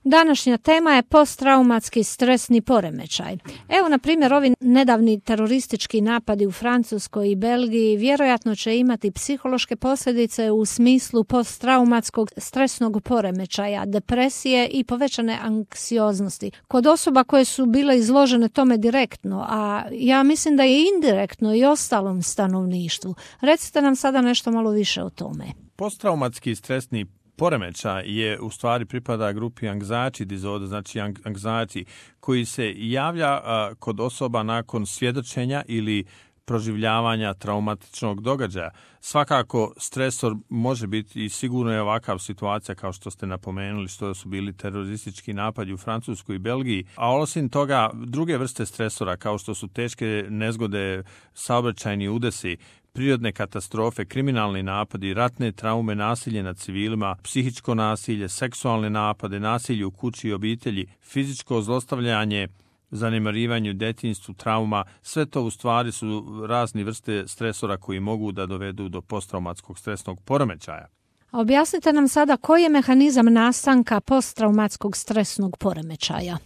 Današnja tema je posttraumatski stresni poremećaj. Evo, na primjer, ovi nedavni teroristički napadi u Francuskoj i Belgiji vjerojatno će imati psihološke posljedice u smislu posttraumatskog stresnog poremećaja, depresije i povećane anksioznosti kod osoba koje su bile izložene tome direktno, a ja mislim da je indirektno i ostalom stanovništvu. Recite nam sada nešto malo više o tome. Posttraumatski stresni poremećaj je u stvari pripada grupi anxiety disorder, znači anxiety, koji se javlja kod osoba nakon svjedočenja ili proživljavanja traumatičnog događaja. Svakako stresor može biti i sigurno je ovakav situacija kao što ste napomenuli, što su bili teroristički napadi u Francuskoj i Belgiji, a osim toga druge vrste stresora kao što su teške nezgode, saobraćajni udesi, prirodne katastrofe, kriminalni napadi, ratne traume, nasilje nad civilima, psihičko nasilje, seksualne napade, nasilje u kući i obitelji, fizičko zlostavljanje, zanemarivanje u djetinjstvu, trauma, sve to u stvari su razne vrste stresora koji mogu da dovedu do posttraumatskog stresnog poremećaja. Objasnite nam sada koji je mehanizam nastanka posttraumatskog stresnog poremećaja.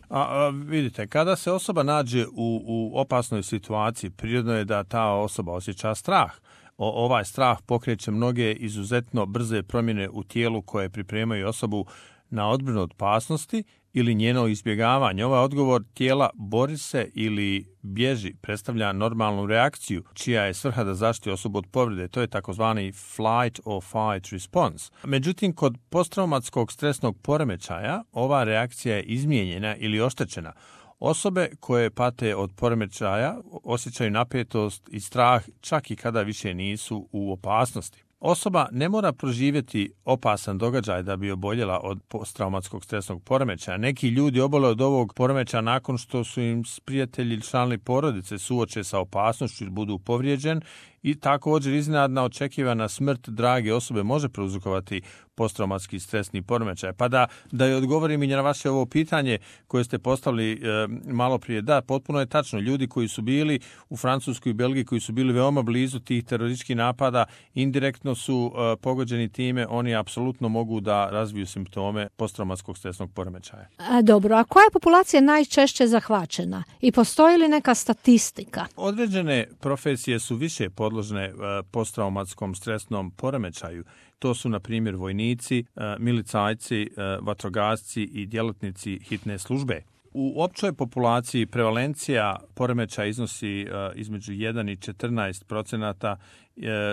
Vidite, kada se osoba nađe u opasnoj situaciji, prirodno je da ta osoba osjeća strah. Ovaj strah pokreće mnoge izuzetno brze promjene u tijelu koje pripremaju osobu na odbranu od opasnosti ili njeno izbjegavanje. Ovaj odgovor tijela bori se ili bježi predstavlja normalnu reakciju čija je svrha da zaštiti osobu od povrede. To je takozvani flight or fight response. Međutim, kod posttraumatskog stresnog poremećaja ova reakcija je izmijenjena ili oštećena. Osobe koje pate od poremećaja osjećaju napetost i strah čak i kada više nisu u opasnosti. Osoba ne mora proživjeti opasan događaj da bi oboljela od posttraumatskog stresnog poremećaja. Neki ljudi obole od ovog poremećaja nakon što su im prijatelji ili članovi porodice suoče sa opasnošću ili budu povrijeđen i također iznenadna očekivana smrt drage osobe može prouzrokovati posttraumatski stresni poremećaj. Pa da je odgovorim i na vaše ovo pitanje koje ste postavili malo prije. Da, potpuno je tačno. Ljudi koji su bili u Francuskoj i Belgiji, koji su bili veoma blizu tih terorističkih napada, indirektno su pogođeni time, oni apsolutno mogu da razviju simptome posttraumatskog stresnog poremećaja. Dobro, a koja je populacija najčešće zahvaćena? I postoji li neka statistika? Određene profesije su više podložne posttraumatskom stresnom poremećaju. To su, na primjer, vojnici, milicajci, vatrogasci i djelatnici hitne službe. U općoj populaciji prevalencija poremećaja iznosi između 1 i 14%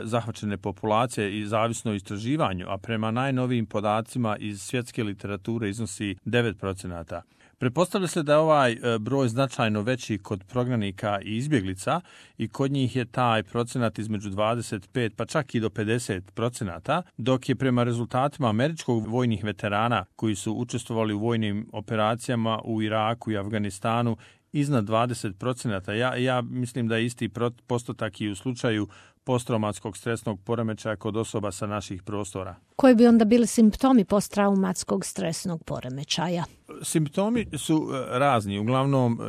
zahvaćene populacije i zavisno o istraživanju, a prema najnovijim podacima iz svjetske literature iznosi 9%. Pretpostavlja se da je ovaj broj značajno veći kod prognanika i izbjeglica i kod njih je taj procenat između 25 pa čak i do 50%, dok je prema rezultatima američkog vojnih veterana koji su učestvovali u vojnim operacijama u Iraku i Afganistanu iznad 20%. Ja mislim da je isti postotak i u slučaju posttraumatskog stresnog poremećaja kod osoba sa naših prostora. Koji bi onda bili simptomi posttraumatskog stresnog poremećaja? Simptomi su razni. Uglavnom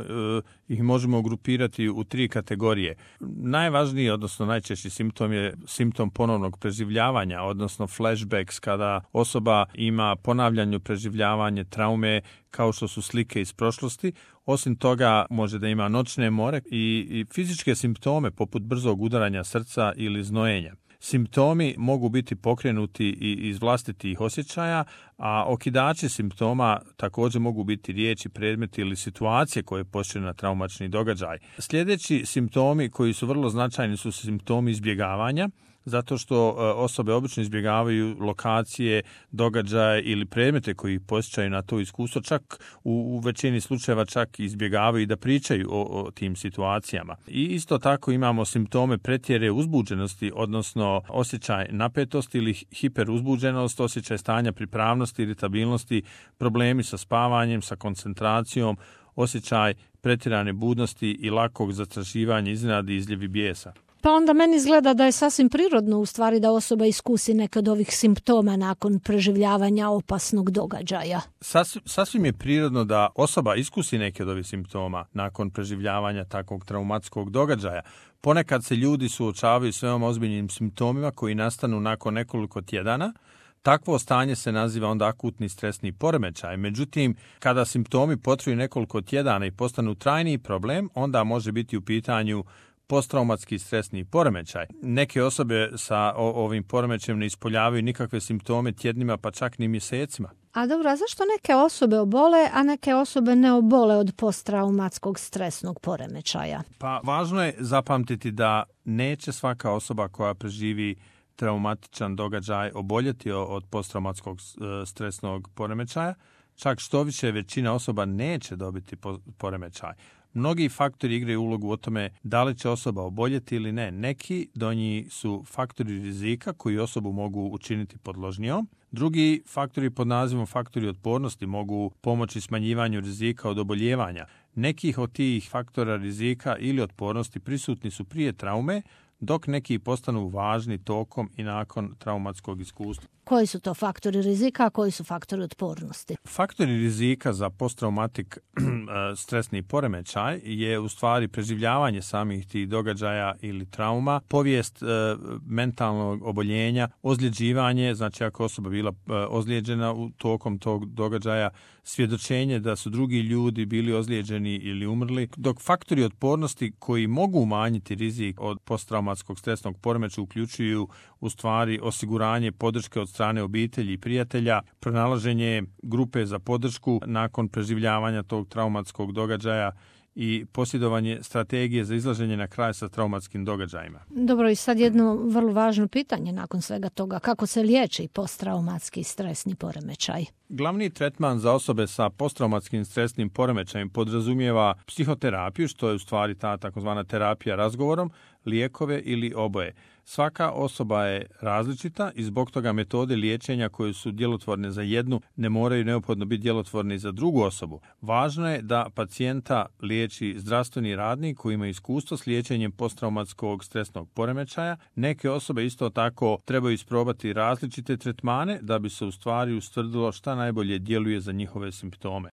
ih možemo grupirati u 3 kategorije. Najvažniji, odnosno najčešći simptom je simptom ponovnog preživljavanja, odnosno flashbacks, kada osoba ima ponavljanje preživljavanje traume kao što su slike iz prošlosti. Osim toga može da ima noćne more i fizičke simptome poput brzog udaranja srca ili znojenja. Simptomi mogu biti pokrenuti i iz vlastitih osjećaja, a okidači simptoma također mogu biti riječi, predmeti ili situacije koje počinu na traumačni događaj. Sljedeći simptomi koji su vrlo značajni su simptomi izbjegavanja, zato što osobe obično izbjegavaju lokacije, događaje ili predmete koji posjećaju na to iskustvo, čak u većini slučajeva čak izbjegavaju i da pričaju o tim situacijama. I isto tako imamo simptome pretjere uzbuđenosti, odnosno osjećaj napetosti ili hiperuzbuđenost, osjećaj stanja pripravnosti, iritabilnosti, problemi sa spavanjem, sa koncentracijom, osjećaj pretjerane budnosti i lakog zastrašivanja, iznenadi i izljevi bijesa. Pa onda meni izgleda da je sasvim prirodno u stvari da osoba iskusi neke od ovih simptoma nakon preživljavanja opasnog događaja. Sasvim je prirodno da osoba iskusi neke od ovih simptoma nakon preživljavanja takvog traumatskog događaja. Ponekad se ljudi suočavaju s veoma ozbiljnim simptomima koji nastanu nakon nekoliko tjedana Takvo stanje se naziva onda akutni stresni poremećaj. Međutim, kada simptomi potraju nekoliko tjedana i postanu trajni problem, onda može biti u pitanju posttraumatski stresni poremećaj. Neke osobe sa ovim poremećajem ne ispoljavaju nikakve simptome tjednima, pa čak ni mjesecima. A dobro, a zašto neke osobe obole, a neke osobe ne obole od posttraumatskog stresnog poremećaja? Pa važno je zapamtiti da neće svaka osoba koja preživi traumatičan događaj oboljeti od posttraumatskog stresnog poremećaja, čak što više većina osoba neće dobiti poremećaj. Mnogi faktori igraju ulogu o tome da li će osoba oboljeti ili ne. Neki do njih su faktori rizika koji osobu mogu učiniti podložnijom. Drugi faktori pod nazivom faktori otpornosti mogu pomoći smanjivanju rizika od oboljevanja. Nekih od tih faktora rizika ili otpornosti prisutni su prije traume, dok neki postanu važni tokom i nakon traumatskog iskustva. Koji su to faktori rizika, a koji su faktori otpornosti? Faktori rizika za posttraumatik stresni poremećaj je u stvari preživljavanje samih tih događaja ili trauma, povijest mentalnog oboljenja, ozljeđivanje, znači ako osoba bila ozlijeđena u tokom tog događaja, svjedočenje da su drugi ljudi bili ozlijeđeni ili umrli, dok faktori otpornosti koji mogu umanjiti rizik od posttraumatskog stresnog poremećaja uključuju u stvari osiguranje podrške od strane obitelji i prijatelja, pronalaženje grupe za podršku nakon preživljavanja tog traumatskog događaja i posjedovanje strategije za izlaženje na kraj sa traumatskim događajima. Dobro, i sad jedno vrlo važno pitanje nakon svega toga. Kako se liječi posttraumatski stresni poremećaj? Glavni tretman za osobe sa posttraumatskim stresnim poremećajem podrazumijeva psihoterapiju, što je u stvari ta takozvana terapija razgovorom, lijekove ili oboje. Svaka osoba je različita i zbog toga metode liječenja koje su djelotvorne za jednu ne moraju neophodno biti djelotvorne i za drugu osobu. Važno je da pacijenta liječi zdravstveni radnik koji ima iskustvo s liječenjem posttraumatskog stresnog poremećaja. Neke osobe isto tako trebaju isprobati različite tretmane da bi se u stvari ustvrdilo šta najbolje djeluje za njihove simptome.